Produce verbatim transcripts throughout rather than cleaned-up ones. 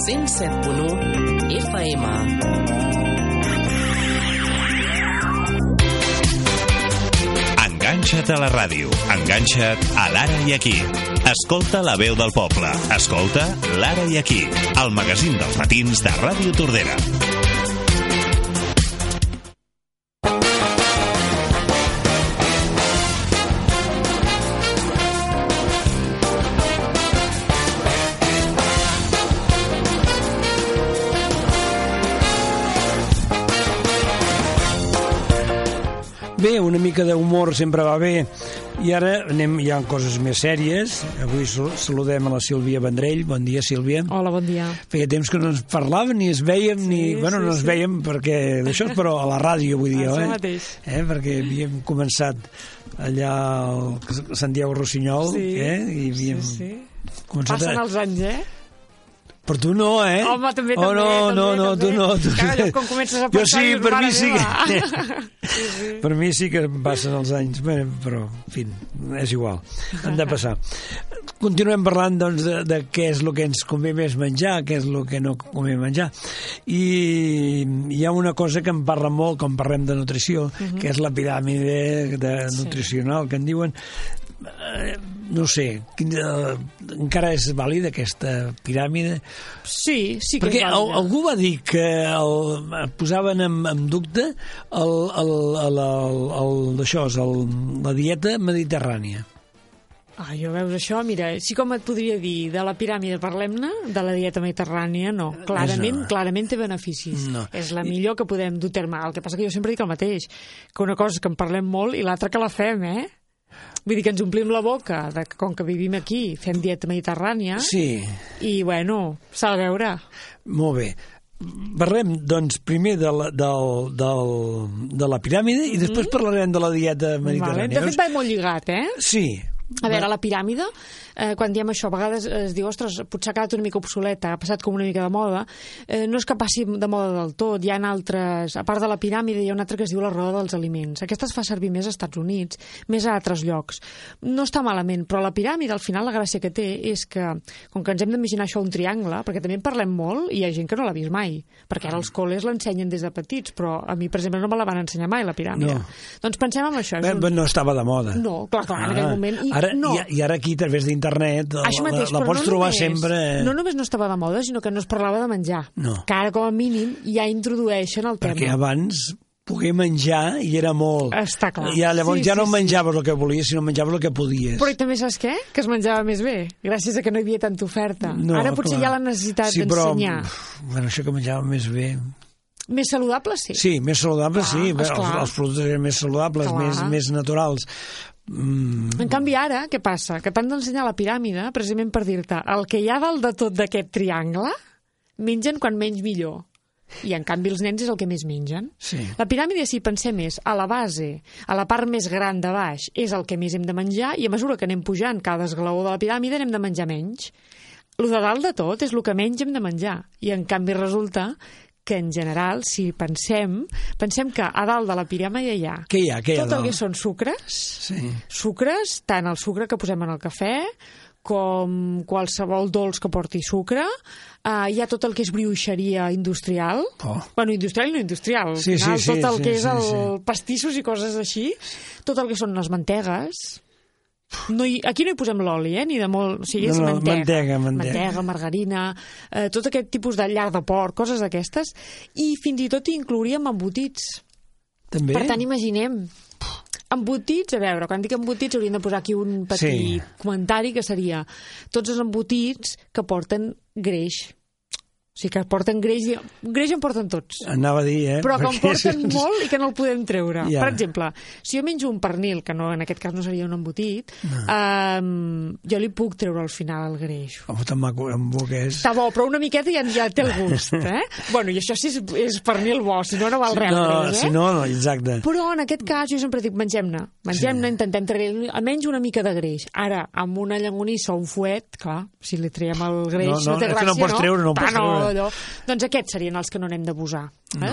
cent set punt u F M. Enganxa't a la ràdio, enganxa't a l'Ara i Aquí. Escolta la veu del poble, escolta l'Ara i Aquí, el magazín dels matins de Ràdio Tordera. Bé, una mica d'humor sempre va bé. I ara anem, hi ha coses més sèries. Avui saludem a la Sílvia Vendrell. Bon dia, Sílvia. Hola, bon dia. Feia temps que no ens parlàvem, ni es veiem, sí, ni... Bueno, sí, no ens sí. veiem perquè d'això, però a la ràdio, vull dir, això eh? mateix. Eh? Perquè havíem començat allà al Santiago Rossinyol, sí, eh? I havíem sí, sí. començat Passen a... els anys, eh? Per tu no, eh? Home, també, oh, també, no, també, no, no, també. tu no. Tu... Clar, com comences a pensar... Jo sí, per mi sí que... sí, sí. Per mi sí que passen els anys, bé, però, en fi, és igual, han de passar. Continuem parlant, doncs, de, de què és el que ens convé més menjar, què és el que no convé menjar. I hi ha una cosa que em parla molt, quan parlem de nutrició, uh-huh. que és la piràmide de nutricional, sí. que en diuen... no sé, quina, encara és vàlida aquesta piràmide? Sí, sí que perquè és vàlida. Algú va dir que el, posaven en, en dubte el, el, el, el, el, això, el, la dieta mediterrània. Ah, jo veus això, mira, sí com et podria dir de la piràmide parlem-ne, de la dieta mediterrània no, clarament, no. clarament té beneficis, no. és la millor que podem dur terme, el que passa que jo sempre dic el mateix, que una cosa és que en parlem molt i l'altra que la fem, eh? Vull dir que ens omplim la boca, de que com que vivim aquí, fem dieta mediterrània, sí. i bueno, s'ha de veure. Molt bé. Parlem, doncs, primer de la, del, del, de la piràmide i després mm. parlarem de la dieta mediterrània. Vale. De fet, va molt lligat, eh? Sí. A veure, la piràmide, eh, quan diem això, a vegades es diu, ostres, potser ha quedat una mica obsoleta, ha passat com una mica de moda. Eh, no és que passi de moda del tot, hi ha altres... A part de la piràmide, hi ha una altra que es diu la roda dels aliments. Aquesta es fa servir més als Estats Units, més a altres llocs. No està malament, però la piràmide, al final, la gràcia que té és que, com que ens hem d'imaginar això un triangle, perquè també en parlem molt i hi ha gent que no l'ha vist mai, perquè ara els col·les l'ensenyen des de petits, però a mi, per exemple, no me la van ensenyar mai, la piràmide. No. Doncs pensem en això. Bé, un... No estava de moda. No, clar, clar, en ah. aquell moment... I Ara, no. i, I ara aquí, a través d'internet, la, mateix, la, la pots no trobar només, sempre... No només no estava de moda, sinó que no es parlava de menjar. No. Que ara, com a mínim, ja introdueixen el tema. Perquè abans poder menjar i era molt... Està clar. I llavors sí, ja no sí, menjaves sí. el que volies, sinó menjaves el que podies. Però i també saps què? Que es menjava més bé, gràcies a que no hi havia tanta oferta. No, ara potser clar. hi ha la necessitat sí, d'ensenyar. Però, bueno, això que menjava més bé... Més saludable, sí. Sí, més saludable, clar, sí. Els, els productes eren més saludables, més, més naturals. Mm. En canvi ara, què passa? Que t'han d'ensenyar la piràmide precisament per dir-te el que hi ha dalt de tot d'aquest triangle mengen quan menys millor. I en canvi els nens és el que més mengen. Sí. La piràmide, si pensem més a la base, a la part més gran de baix, és el que més hem de menjar i a mesura que anem pujant cada esglaó de la piràmide anem de menjar menys. El de dalt de tot és el que menys hem de menjar. I en canvi resulta que en general, si pensem, pensem que a dalt de la piràmide hi ha, què hi ha, què hi ha tot el que són sucres, sí. sucres, tant el sucre que posem en el cafè, com qualsevol dolç que porti sucre, uh, hi ha tot el que és brioixeria industrial, oh. bueno, industrial i no industrial, sí, al final, sí, sí, tot el sí, que és sí, el sí. pastissos i coses així, tot el que són les mantegues. No hi, aquí no hi posem l'oli, eh? Ni de molt... O sigui, és no, no, mantega, mantega, mantega. mantega, margarina, eh, tot aquest tipus de llar de porc, coses d'aquestes, i fins i tot hi inclouríem embotits. També? Per tant, imaginem... Embotits, a veure, quan dic embotits hauríem de posar aquí un petit sí. comentari que seria tots els embotits que porten greix. O sigui, que porten greix, greix en porten tots. Anava a dir, eh? Però que en porten és... molt i que no el podem treure. Ja. Per exemple, si jo menjo un pernil, que no, en aquest cas no seria un embotit, no. um, jo li puc treure al final el greix. Oh, tan maco, en bo que és. Està bo, però una miqueta ja, ja té el gust, eh? Bueno, i això sí és, és pernil bo, si no, no val res. No, greix, eh? si no, no, exacte. Però en aquest cas jo sempre dic, mengem-ne, mengem-ne, sí. intentem treure almenys una mica de greix. Ara, amb una llangonissa o un fuet, clar, si li traiem el greix no, no, no té gràcia, no pots treure, no, no pots no, treure. No. Doncs aquests serien els que no n'hem d'abusar. No.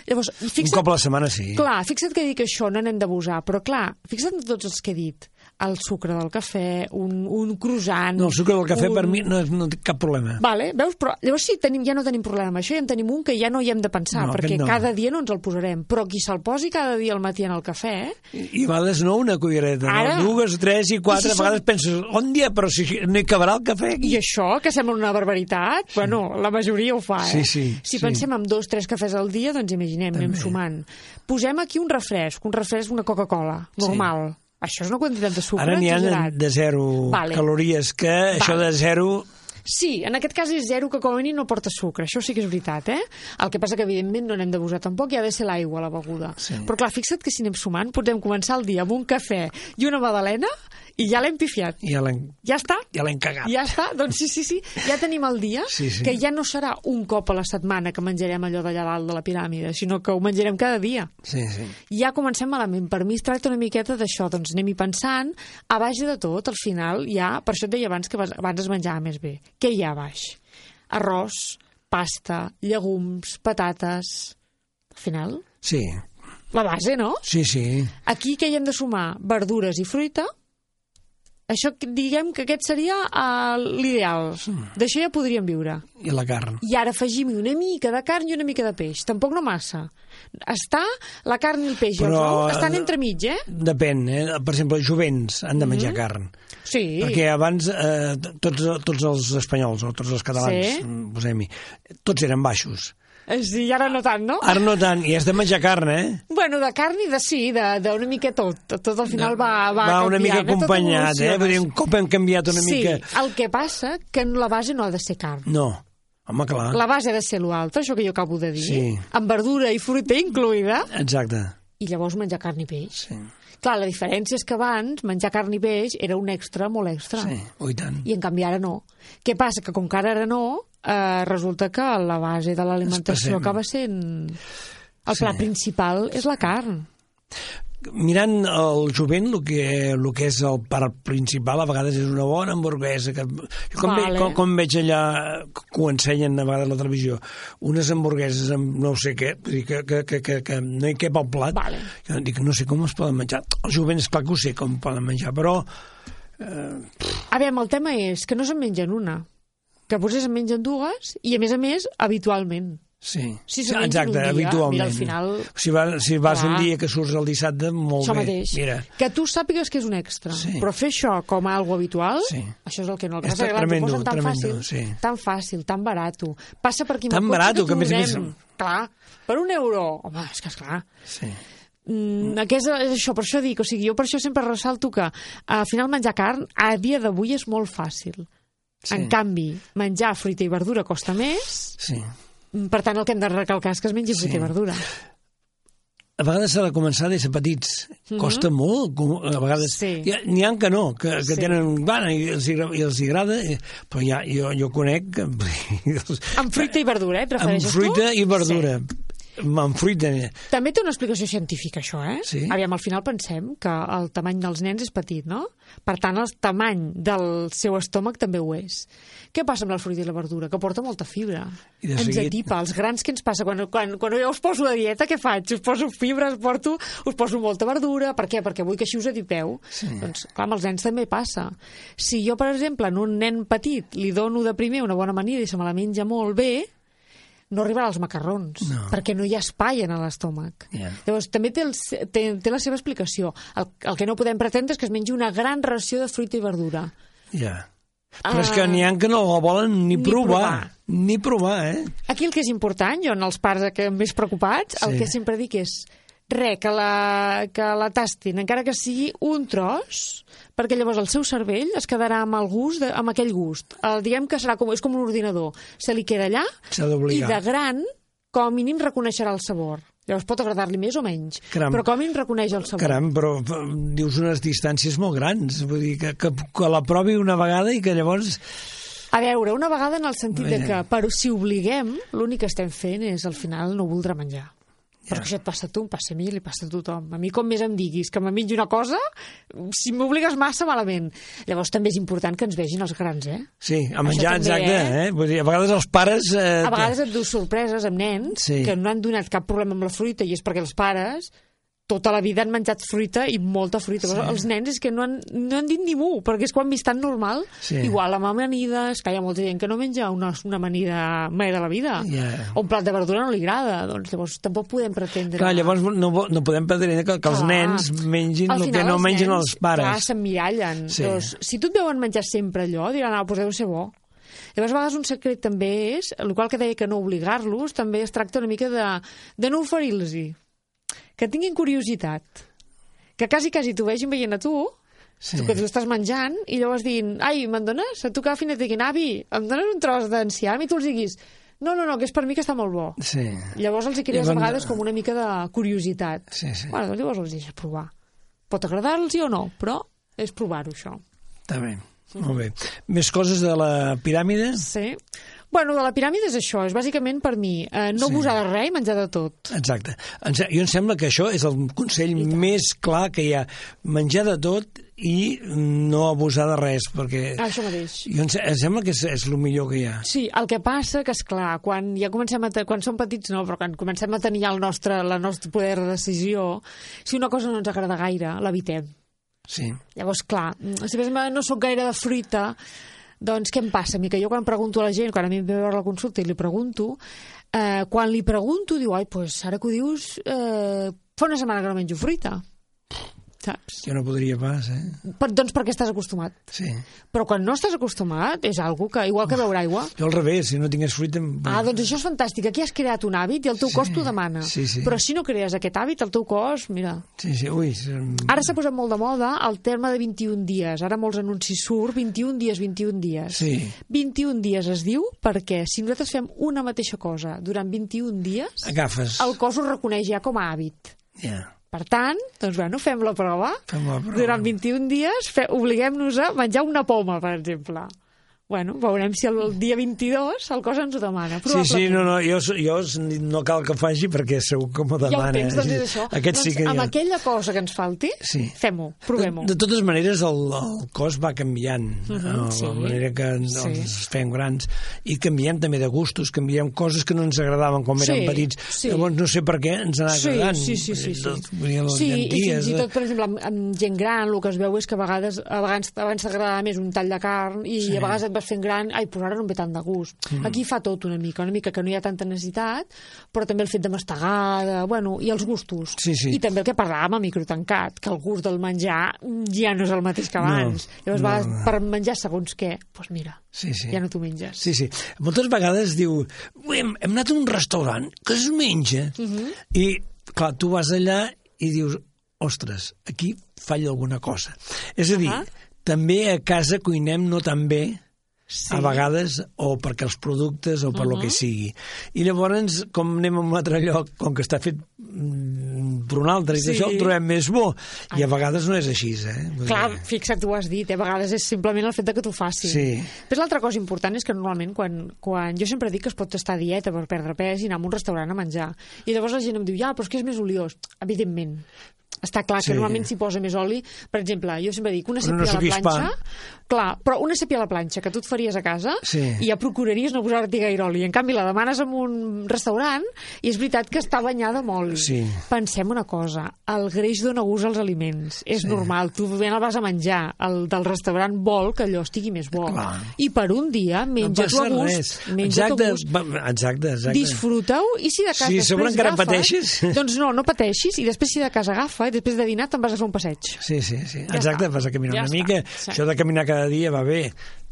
Llavors, fixa't, un cop a la setmana sí. Clar, fixa't que dic això, no n'hem d'abusar, però clar, fixa't en tots els que he dit. El sucre del cafè, un, un croissant... No, el sucre del cafè un... per mi no, no té cap problema. Vale, veus? Però llavors sí, tenim, ja no tenim problema amb això, ja en tenim un que ja no hi hem de pensar, No, perquè aquest no. cada dia no ens el posarem. Però qui se'l posi cada dia al matí en el cafè... I, i a vegades no una cullereta, Ara... no? Dues, tres i quatre, I si a vegades som... penses, on dia, però si no hi acabarà el cafè aquí. I això, que sembla una barbaritat, sí. Bueno, la majoria ho fa, eh? Sí, sí, si sí. pensem en dos, tres cafès al dia, doncs imaginem, També. anem sumant. Posem aquí un refresc, un refresc, una Coca-Cola, normal. Sí. Això és una quantitat de sucre Ara n'hi ha exagerat. de zero Vale. calories, que vale. Això de zero... Sí, en aquest cas és zero que com a mínim no porta sucre, això sí que és veritat, eh? El que passa que evidentment no n'hem d'abusar tampoc, hi ha de ser l'aigua la beguda. Sí. Però clar, fixa't que si anem sumant podem començar el dia amb un cafè i una magdalena i ja l'hem pifiat. Ja l'hem Ja està? ja l'hem cagat. Ja està? Doncs sí, sí, sí. Ja tenim el dia, Sí, sí. que ja no serà un cop a la setmana que menjarem allò d'allà dalt de la piràmide, sinó que ho menjarem cada dia. Sí, sí. Ja comencem malament. Per mi es tracta una miqueta d'això, doncs anem-hi pensant, a baix de tot, al final hi ha, per això et deia abans que abans es menjava més bé. Què hi ha a baix? Arròs, pasta, llegums, patates... Al final, Sí, la base, no? sí, sí. Aquí què hi hem de sumar? Verdures i fruita. Això, diguem que aquest seria uh, l'ideal. D'això ja podríem viure. I la carn. I ara afegim una mica de carn i una mica de peix. Tampoc no massa. Està la carn i el peix i Però, els ous estan entremig, eh? Depèn, eh? Per exemple, els jovents han de menjar mm-hmm. carn. Sí. Perquè abans eh, tots, tots els espanyols o tots els catalans, Sí. posem-hi, tots eren baixos. Sí, i ara no tant, no? Ara no tant, i has de menjar carn, eh? Bueno, de carn i de sí, d'una mica tot. Tot al final va, va, va una canviant, mica eh? Tot acompanyat, eh? evoluciona. Vull dir, un cop hem canviat una sí, mica... el que passa que la base no ha de ser carn. No, home, clar. La base ha de ser l'altre, això que jo acabo de dir. Sí. Amb verdura i fruita incluïda. Exacte. I llavors menjar carn i peix. Sí. Clar, la diferència és que abans menjar carn i peix era un extra molt extra. Sí, oi tant. I en canvi ara no. Què passa? Que com que ara no, eh, resulta que la base de l'alimentació Passem. acaba sent... El Sí. plat principal és la carn. Mirant el jovent, el que, el que és el part principal, a vegades és una bona hamburguesa. Que... Jo com, Vale. ve, com, com veig allà, que ho ensenyen a vegades a la televisió, unes hamburgueses amb no sé què, vull dir, que, que, que, que, que no hi cap al plat, Vale. jo dic, no sé com es poden menjar. Els jovents, clar que ho sé com poden menjar, però... Eh, A veure, el tema és que no se'n mengen una, que potser se'n mengen dues i, a més a més, habitualment. sí, Si sí se mengen exacte, un dia, habitualment. mira, al final... Si, va, si vas Clar. un dia que surts el dissabte, molt Això bé. mateix. Mira, Que tu sàpigues que és un extra. Sí. Però fer això com a algo habitual, Sí. això és el que no. El És que passa que, clar, t'ho tremendo, posen tan tremendo, fàcil, sí. tan fàcil, tan barato. Passa per aquí amb Tan el cotxe barato, que que a t'ho més a més- donem. Clar, per un euro. Home, és que esclar. sí. Mm, que és, és això, per això dic, o sigui, jo per això sempre ressalto que al final menjar carn a dia d'avui és molt fàcil. Sí. En canvi, menjar fruita i verdura costa més, Sí. per tant el que hem de recalcar és que es mengi fruita Sí. i verdura. A vegades s'ha de començar des de petits. Costa molt, com- a vegades... Sí. Hi ha- N'hi ha que no, que, que Sí. tenen gana i els, hi agra- i els hi agrada, eh, però ja, jo, jo conec... Que, Amb fruita i verdura, eh? Et amb refereixes fruita tu? i verdura. Sí. Amb fruita... També té una explicació científica, això, eh? Sí. Aviam, al final pensem que el tamany dels nens és petit, no? Per tant, el tamany del seu estómac també ho és. Què passa amb la fruita i la verdura? Que porta molta fibra. I de Ens seguit- atipa. Els grans, què ens passa? Quan, quan, quan jo us poso a dieta, què faig? Us poso fibra, us, porto, us poso molta verdura. Per què? Perquè vull que així us atipeu. Sí. Doncs, clar, amb els nens també passa. Si jo, per exemple, en un nen petit li dono de primer una bona amanida i se me la menja molt bé, no arribarà als macarrons, No. perquè no hi ha espai en l'estómac. Ja. Llavors, també té, el, té, té la seva explicació. El, el que no podem pretendre és que es mengi una gran ració de fruita i verdura. Ja. Però és que Ah. n'hi ha que no la volen ni, Ni provar. provar. Ni provar, eh? Aquí el que és important, jo en els pares que més preocupats, el Sí. que sempre dic és res, que la, que la tastin, encara que sigui un tros, perquè llavors el seu cervell es quedarà amb el gust, de, amb aquell gust. El, diguem que serà com, és com un ordinador. Se li queda allà S'ha i d'obligar. de gran, com a mínim, reconeixerà el sabor. Llavors pot agradar-li més o menys, Caram. però com a mínim reconeix el sabor. Caram, però eh, dius unes distàncies molt grans. Vull dir, que, que, que la provi una vegada i que llavors... A veure, una vegada en el sentit de Vaja. que, però si obliguem, l'únic que estem fent és, al final, no voldrà menjar. Perquè això et passa a tu, em passa a mi, li passa a tothom. A mi, com més em diguis que me mengi una cosa, si m'obligues massa, malament. Llavors també és important que ens vegin els grans, eh? Sí, a menjar, també, exacte. eh? Eh? Vull dir, a vegades els pares... Eh, A vegades et dus sorpreses amb nens Sí. que no han donat cap problema amb la fruita, i és perquè els pares tota la vida han menjat fruita i molta fruita. Sí. Els nens és que no han, no han dit ni mu, perquè és quan vist tan normal. Sí. Igual amb amanides, que hi ha molta gent que no menja una, una amanida mai de la vida. Yeah. O un plat de verdura no li agrada. Doncs llavors tampoc podem pretendre... Clar, llavors no, no podem pretendre que, que els Clar. nens mengin Al el que final no mengen nens, els pares. Clar, s'emmirallen. Sí. Doncs, si tu et veuen menjar sempre allò, diran, ah, doncs deu ser bo. Llavors, a vegades un secret també és, el qual que deia que no obligar-los, també es tracta una mica de, de no oferir-los-hi. Que tinguin curiositat. Que quasi, quasi t'ho vegin veient a tu, Sí. tu que tu estàs menjant, i llavors dient, ai, me'n dones? A tu que al final et diguin, avi, em dones un tros d'enciam? I tu els diguis, no, no, no, que és per mi que està molt bo. Sí. Llavors els hi crees I a van- vegades com una mica de curiositat. Sí, sí. Bueno, doncs llavors els deixes provar. Pot agradar-los o no, però és provar-ho, això. Està bé. Molt bé. Més coses de la piràmide? Sí. Bueno, de la piràmide és això, és bàsicament per mi eh, no Sí. abusar de res i menjar de tot. Exacte. Em se- Jo em sembla que això és el consell més clar que hi ha. Menjar de tot i no abusar de res, perquè... Ah, això mateix. Jo em, se- em sembla que és, és el millor que hi ha. Sí, el que passa que, és clar, quan ja comencem a te- quan som petits no, però quan comencem a tenir ja el nostre, la nostre poder de decisió, si una cosa no ens agrada gaire, l'evitem. Sí. Llavors, clar, si per exemple no sóc gaire de fruita, doncs què em passa? A mi que jo quan pregunto a la gent, quan a mi em ve a veure la consulta i li pregunto, eh, quan li pregunto diu, ai, doncs ara que ho dius, eh, fa una setmana que no menjo fruita. Saps? Jo no podria pas, eh? Per, doncs perquè estàs acostumat. Sí. Però quan no estàs acostumat, és algo que, igual que beure aigua. Jo al revés, si no tingués fruita... em- Ah, doncs això és fantàstic. Aquí has creat un hàbit i el teu Sí, cos t'ho demana. sí, sí. Però si no crees aquest hàbit, el teu cos, mira... Sí, sí, ui... em- Ara s'ha posat molt de moda el terme de vint-i-un dies. Ara molts anuncis surt, vint-i-un dies, vint-i-un dies. Sí. vint-i-un dies es diu perquè si nosaltres fem una mateixa cosa durant vint-i-un dies, Agafes... el cos ho reconeix ja com a hàbit. Ja. Per tant, doncs bueno, fem la prova. Fem la prova. Durant vint-i-un dies fe, obliguem-nos a menjar una poma, per exemple. Bueno, veurem si el dia vint-i-dos el cos ens ho demana. Sí, sí, no, no, jo, jo no cal que faci perquè segur que m'ho Ja ho demana. tens, doncs és això. Aquest doncs sí que amb ja... aquella cosa que ens falti, Sí. fem-ho, provem-ho. De, de totes maneres, el, el cos va canviant, uh -huh, Mhm, la sí. manera que ens Sí. fem grans, i canviem també de gustos, canviem coses que no ens agradaven quan Sí, érem petits. sí. Llavors no sé per què ens anava Sí, agradant. sí, sí, sí, sí. Vull dir, les Sí, i llenties, fins i eh? tot, per exemple, amb, amb gent gran, el que es veu és que a vegades a vegades abans t'agradava més un tall de carn i Sí. a vegades et vas fent gran, ai, però ara no em ve tant de gust. Mm. Aquí fa tot una mica, una mica que no hi ha tanta necessitat, però també el fet de mastegar, de, bueno, i els gustos. Sí, sí. I també el que parlàvem a microtancat, que el gust del menjar ja no és el mateix que abans. No, Llavors, no, vegades, no. per menjar segons què, doncs mira, Sí, sí. ja no t'ho menges. Sí, sí. Moltes vegades diu, "Ui, hem, hem anat a un restaurant que es menja, Uh -huh. i clar, tu vas allà i dius, ostres, aquí falla alguna cosa. És a dir, Ah. també a casa cuinem no tan bé, Sí. a vegades, o perquè els productes o per uh -huh. lo que sigui. I llavors, com anem a un altre lloc, com que està fet mm, per un altre, i Sí. això el trobem més bo. I a vegades no és així, eh? Vull Clar, dir, fixa't, tu ho has dit, eh? a vegades és simplement el fet de que t'ho facin. Sí. Però l'altra cosa important és que normalment quan, quan jo sempre dic que es pot estar a dieta per perdre pes i anar a un restaurant a menjar. I llavors la gent em diu, ja, però és que és més oliós. Evidentment. Està clar que Sí. normalment s'hi posa més oli. Per exemple, jo sempre dic, una Però no sèpia a la suquis planxa... pa. Clar, però una sèpia a la planxa que tu et faries a casa Sí. i ja procuraries no posar-t'hi gaire oli. En canvi, la demanes en un restaurant i és veritat que està banyada amb oli. Sí. Pensem una cosa, el greix dona gust als aliments. És Sí. normal, tu ben el vas a menjar. El del restaurant vol que allò estigui més bo. Clar. I per un dia, No menja-t'ho passa a gust. res. Menja-t'ho Exacte, a gust. va- exacte, exacte. Disfruta-ho i si de cas Sí, després sobre encara agafa, pateixis. doncs no, no pateixis i després si de cas agafa i després de dinar te'n vas a fer un passeig. Sí, sí, sí. Ja Exacte, està. vas a caminar Ja una està. mica. Sí. Això de caminar cada dia va bé.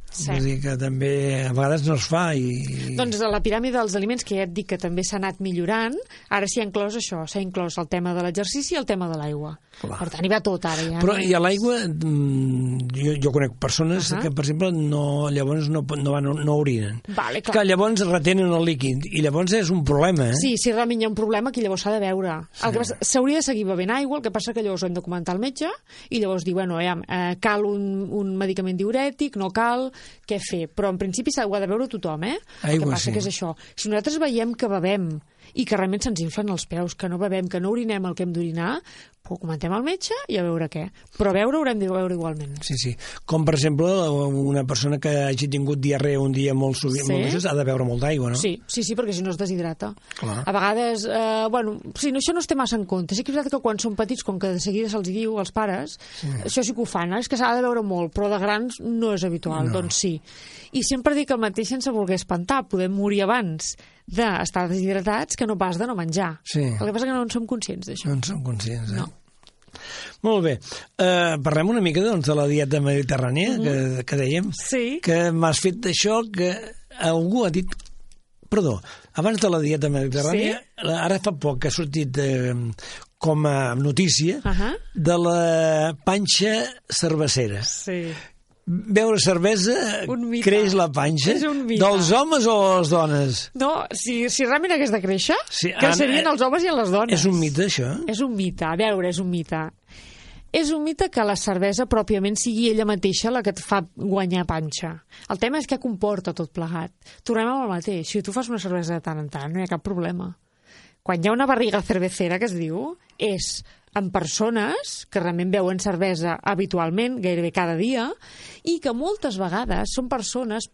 Sí. Vull dir que també a vegades no es fa i... Doncs a la piràmide dels aliments, que ja et dic que també s'ha anat millorant, ara s'hi ha inclòs això, s'ha inclòs el tema de l'exercici i el tema de l'aigua. Clar. Per tant, hi va tot ara. Ja, Però no? i a l'aigua, mm, jo, jo conec persones Ahà. que, per exemple, no, llavors no, no, van, no orinen. Vale, clar. Que llavors retenen el líquid i llavors és un problema, eh? Sí, si realment hi ha un problema, aquí llavors s'ha de veure. Sí. El que passa, s'hauria de seguir bevent aigua, el que passa que llavors ho hem de comentar al metge i llavors dir, bueno, ja, eh, cal un, un medicament diurètic, no cal, què fer? Però en principi s'ha de veure tothom, eh? El Aigua, que passa sí. que és això. Si nosaltres veiem que bevem i que realment se'ns inflen els peus, que no bevem, que no orinem el que hem d'orinar, ho comentem al metge i a veure què. Però beure haurem de beure igualment. Sí, sí. Com, per exemple, una persona que hagi tingut diarrea un dia molt sovint, sí. molt ha de beure molt d'aigua, no? Sí, sí, sí, perquè si no es deshidrata. Clar. A vegades, eh, bueno, sí, no, això no es té massa en compte. Sí que és veritat que quan són petits, com que de seguida se'ls diu als pares, sí. això sí que ho fan, eh? És que s'ha de beure molt, però de grans no és habitual, no. Doncs sí. I sempre dic el mateix sense voler espantar. Podem morir abans d'estar deshidratats que no pas de no menjar. Sí. El que passa és que no en som conscients d'això. No en som conscients, eh? No. Molt bé. Uh, parlem una mica doncs, de la dieta mediterrània, mm-hmm. que, que dèiem. Sí. Que m'has fet això que algú ha dit... Perdó, abans de la dieta mediterrània, sí? Ara fa poc que ha sortit eh, com a notícia uh-huh. de la panxa cervecera. Sí. Beure cervesa creix la panxa dels homes o les dones? No, si, si realment hagués de créixer, sí, que serien els homes i les dones. És un mite, això? És un mite, a veure, és un mite. És un mite que la cervesa pròpiament sigui ella mateixa la que et fa guanyar panxa. El tema és què comporta tot plegat. Tornem amb el mateix. Si tu fas una cervesa de tant en tant, no hi ha cap problema. Quan hi ha una barriga cervecera, que es diu, és en persones que realment beuen cervesa habitualment, gairebé cada dia, i que moltes vegades són persones...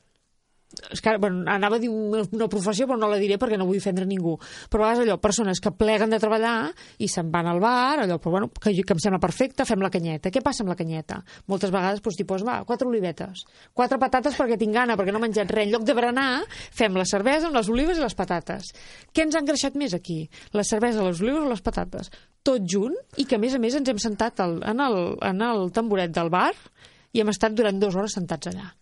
És que, bueno, anava a dir una professió, però no la diré perquè no vull ofendre ningú. Però a vegades allò, persones que pleguen de treballar i se'n van al bar, allò, però bueno, que, que em sembla perfecte, fem la canyeta. Què passa amb la canyeta? Moltes vegades doncs, t'hi poses, va, quatre olivetes, quatre patates perquè tinc gana, perquè no he menjat res. En lloc de berenar, fem la cervesa amb les olives i les patates. Què ens ha engreixat més aquí? La cervesa, les olives o les patates? Tot junt, i que a més a més ens hem sentat al, en, el, en el tamboret del bar i hem estat durant dues hores sentats allà.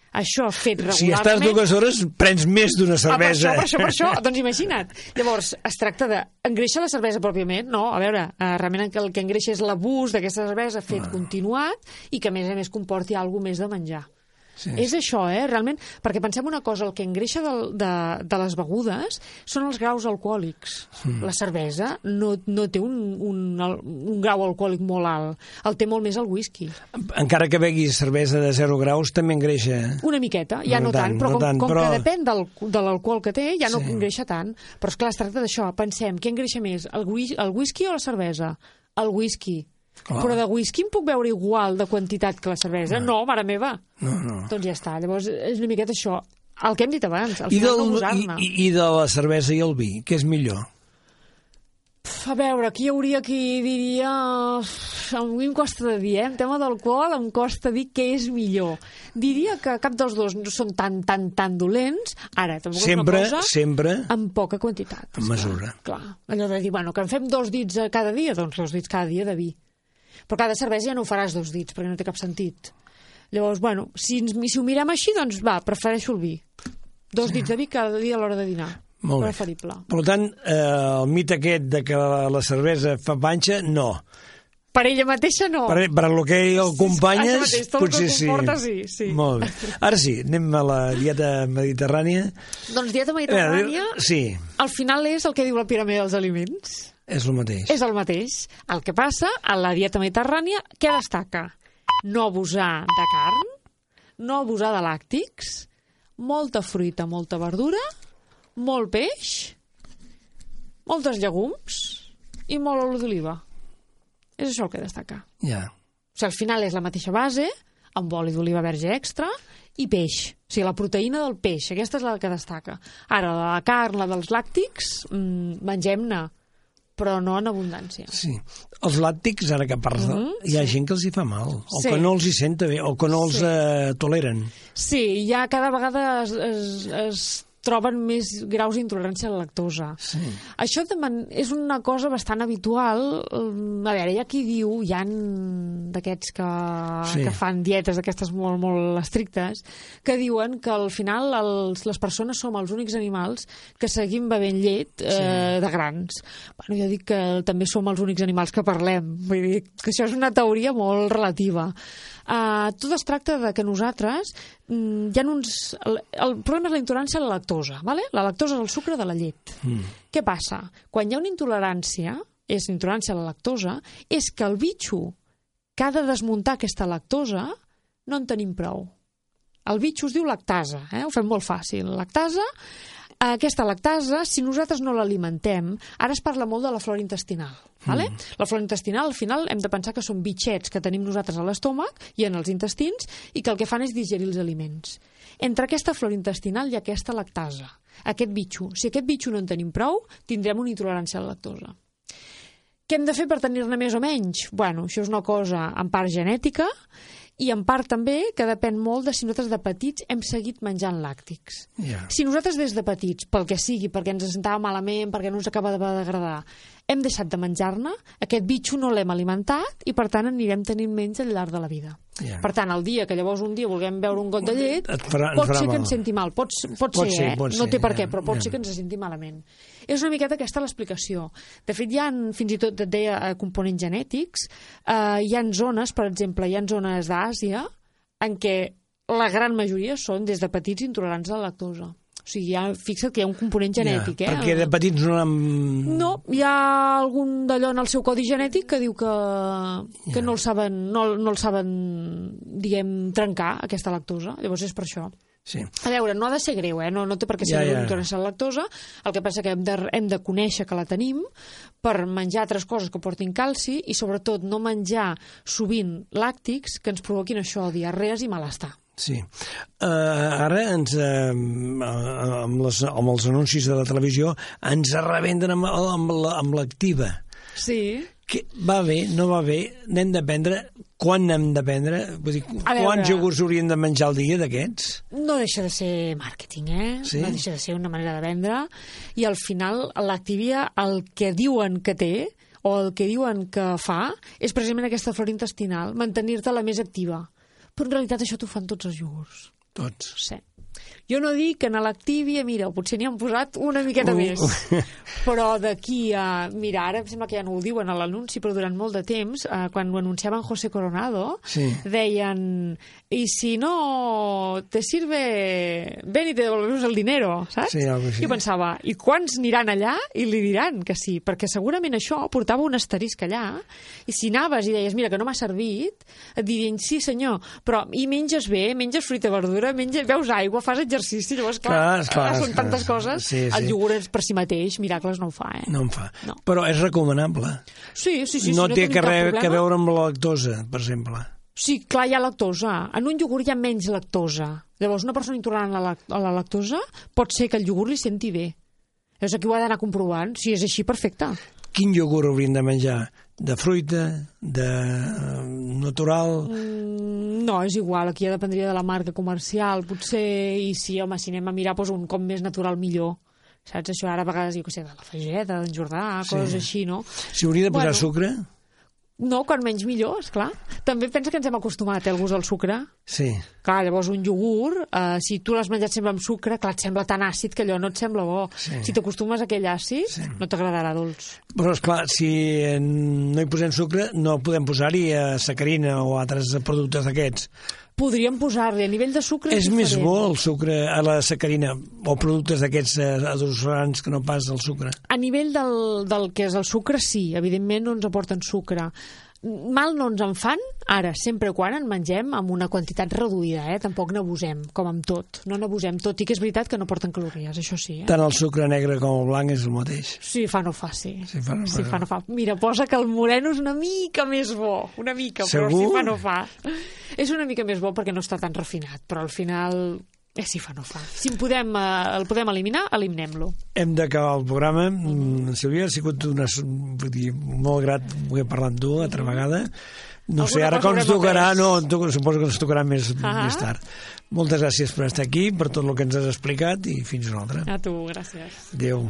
Això fet regularment... Si estàs dues hores, prens més d'una cervesa. Ah, per això, per això, per això. Doncs imagina't. Llavors, es tracta de... Engreixa la cervesa pròpiament? No, a veure, eh, realment el que engreixa és l'abús d'aquesta cervesa fet ah. continuat i que a més a més comporti alguna més de menjar. Sí. És això, eh, realment, perquè pensem una cosa, el que engreixa de, de, de les begudes són els graus alcohòlics. Mm. La cervesa no, no té un, un, un grau alcohòlic molt alt, el té molt més el whisky. Encara que beguis cervesa de zero graus, també engreixa. Una miqueta, ja no, no tant, tant, però com, no tant, com però... que depèn del, de l'alcohol que té, ja no sí. engreixa tant. Però esclar, es tracta d'això, pensem, què engreixa més, el, el whisky o la cervesa? El whisky. Clar. Però de whisky em puc beure igual de quantitat que la cervesa? No, no mare meva. No, no. Doncs ja està. Llavors, és una miqueta això. El que hem dit abans, al I final del, no abusar-ne. I, I de la cervesa i el vi, què és millor? A veure, aquí hi hauria qui diria... A mi em costa de dir, eh? En tema d'alcohol em costa dir què és millor. Diria que cap dels dos no són tan, tan, tan dolents. Ara, tampoc sempre, és una cosa... Sempre, amb poca quantitat. En mesura. Clar, clar. Allò de dir, bueno, que en fem dos dits cada dia, doncs dos dits cada dia de vi. Però cada cervesa ja no ho faràs dos dits, perquè no té cap sentit. Llavors, bueno, si, si ho mirem així, doncs va, prefereixo el vi. Dos sí. dits de vi cada dia a l'hora de dinar. Molt preferible. Bé. Per tant, eh, el mite aquest de que la cervesa fa panxa, no. Per ella mateixa no. Per, per lo que acompanyes, sí, mateix, potser que comporta, sí. sí. Molt bé. Ara sí, anem a la dieta mediterrània. Doncs dieta mediterrània, eh, sí. al final és el que diu la piràmide dels aliments. És el mateix. És el mateix. El que passa, a la dieta mediterrània, què destaca? No abusar de carn, no abusar de làctics, molta fruita, molta verdura, molt peix, moltes llegums i molt oli d'oliva. És això el que destaca. Ja. O sigui, al final és la mateixa base, amb oli d'oliva verge extra i peix. O sigui, la proteïna del peix, aquesta és la que destaca. Ara, la carn, la dels làctics, mmm, mengem-ne, però no en abundància. Sí. Els làctics, ara que parles, mm-hmm, hi ha sí. gent que els hi fa mal, o sí. que no els hi senta bé, o que no els sí. eh, toleren. Sí, ja cada vegada es, es, es troben més graus d'intolerància a la lactosa. Sí. Això man... és una cosa bastant habitual. A veure, hi ha qui diu, hi ha d'aquests que, sí. que fan dietes d'aquestes molt, molt estrictes, que diuen que al final els, les persones som els únics animals que seguim bevent llet eh, sí. de grans. Bueno, jo dic que també som els únics animals que parlem. Vull dir que això és una teoria molt relativa. Uh, tot es tracta de que nosaltres mm, hi ha uns... El, el problema és la intolerància a la lactosa, ¿vale? La lactosa és el sucre de la llet. Mm. Què passa? Quan hi ha una intolerància, és intolerància a la lactosa, és que el bitxo que ha de desmuntar aquesta lactosa no en tenim prou. El bitxo es diu lactasa, eh? Ho fem molt fàcil. Lactasa Aquesta lactasa, si nosaltres no l'alimentem, ara es parla molt de la flora intestinal. Vale? Mm. La flora intestinal, al final, hem de pensar que són bitxets que tenim nosaltres a l'estómac i en els intestins i que el que fan és digerir els aliments. Entre aquesta flora intestinal i aquesta lactasa, aquest bitxo. Si aquest bitxo no en tenim prou, tindrem una intolerància a la lactosa. Què hem de fer per tenir-ne més o menys? Bueno, això és una cosa en part genètica i en part també que depèn molt de si nosaltres de petits hem seguit menjant làctics. Yeah. Si nosaltres des de petits, pel que sigui, perquè ens sentava malament, perquè no ens acaba de degradar, hem deixat de menjar-ne, aquest bitxo no l'hem alimentat i per tant anirem tenint menys al llarg de la vida. Yeah. Per tant, el dia que llavors un dia vulguem beure un got de llet, farà, pot ser mal. Que ens senti mal. Pot, pot, pot ser, ser, eh? Pot no ser, té per què, però pot yeah. ser que ens senti malament. És una miqueta aquesta l'explicació. De fet, hi ha, fins i tot et deia, components genètics, eh, hi ha zones, per exemple, hi ha zones d'Àsia en què la gran majoria són, des de petits, intolerants a la lactosa. O sigui, ja, fixa't que hi ha un component genètic. Ja, eh? Perquè de petits no l'han... No, hi ha algun d'allò en el seu codi genètic que diu que, que ja. no el saben, no, no el saben, diguem, trencar, aquesta lactosa. Llavors és per això. Sí. A veure, no ha de ser greu, eh? no, no té per què ser ja, greu ja. intolerància a la lactosa. El que passa que hem de, hem de conèixer que la tenim per menjar altres coses que portin calci i sobretot no menjar sovint làctics que ens provoquin això, diarrees i malestar. Sí. Uh, ara ens, uh, amb, les, amb els anuncis de la televisió ens arrebenten amb, amb, la, amb l'activa. Sí. Que va bé, no va bé, n'hem de prendre, quan n'hem de prendre? Vull dir, quants iogurts hauríem de menjar al dia d'aquests? No deixa de ser màrqueting, eh? Sí? No deixa de ser una manera de vendre. I al final l'Activia, el que diuen que té, o el que diuen que fa, és precisament aquesta flora intestinal, mantenir-te la més activa. Però en realitat això t'ho fan tots els iogurts. Tots? Sí. Jo no dic que en l'Activia, mira, potser n'hi han posat una miqueta uh. més, però d'aquí a... Mira, ara em sembla que ja no ho diuen a l'anunci, però durant molt de temps, eh, quan ho anunciaven José Coronado, sí. deien, i si no te sirve, ven y te devolvemos el dinero, saps? Sí, algo així. I pensava, i quants aniran allà i li diran que sí? Perquè segurament això portava un asterisc allà, i si anaves i deies, mira, que no m'ha servit, et dirien, sí senyor, però i menges bé, menges fruita i verdura, menges, beus aigua, fas exercici, llavors, clar, clar, clar són clar, tantes coses. Sí, sí. El iogurt per si mateix, miracles no ho fa, eh? No en fa. No. Però és recomanable. Sí, sí, sí. No, si no té que, re, que veure amb la lactosa, per exemple. Sí, clar, hi ha lactosa. En un iogurt hi ha menys lactosa. Llavors, una persona intolerant a la, a la lactosa pot ser que el iogurt li senti bé. Llavors, aquí ho ha d'anar comprovant. Si és així, perfecte. Quin iogurt hauríem de menjar? De fruita? De uh, natural? Mm, no, és igual. Aquí ja dependria de la marca comercial, potser. I sí, home, si anem a mirar, doncs un com més natural millor. Saps? Això ara a vegades, jo què sé, de la Fageda, d'en Jordà, coses sí. així, no? Si hauria de posar bueno, sucre? No, quan menys millor, esclar. També pensa que ens hem acostumat eh, al gust del sucre. Sí. Clar, llavors un iogurt, eh, si tu l'has menjat sempre amb sucre, clar, et sembla tan àcid que allò no et sembla bo. Sí. Si t'acostumes a aquell àcid, sí. no t'agradarà dolç. Però, esclar, si no hi posem sucre, no podem posar-hi eh, sacarina o altres productes d'aquests. Podríem posar-li, a nivell de sucre... És, és més bo el sucre a la sacarina o productes d'aquests adulcerants que no pas el sucre? A nivell del, del que és el sucre, sí. Evidentment no ens aporten sucre. Mal no ens en fan, ara, sempre quan en mengem amb una quantitat reduïda, eh? Tampoc n'abusem, com amb tot. No n'abusem, tot i que és veritat que no porten calories, això sí. Eh? Tant el sucre negre com el blanc és el mateix. Sí, fa no fa, sí. Sí, fa no fa. Sí, fa no fa. Mira, posa que el moreno és una mica més bo, una mica, Segur? Però sí fa no fa. És una mica més bo perquè no està tan refinat, però al final... Eh, sí, fa no fa. Si en podem, eh, el podem eliminar, eliminem-lo. Hem d'acabar el programa. Mm. Sílvia, ha sigut una, vull dir, molt grat poder parlar amb tu altra vegada. No Alguna sé, ara com ens tocarà, no, suposo que ens tocarà més, ah més tard. Moltes gràcies per estar aquí, per tot el que ens has explicat i fins una altra. A tu, gràcies. Adéu.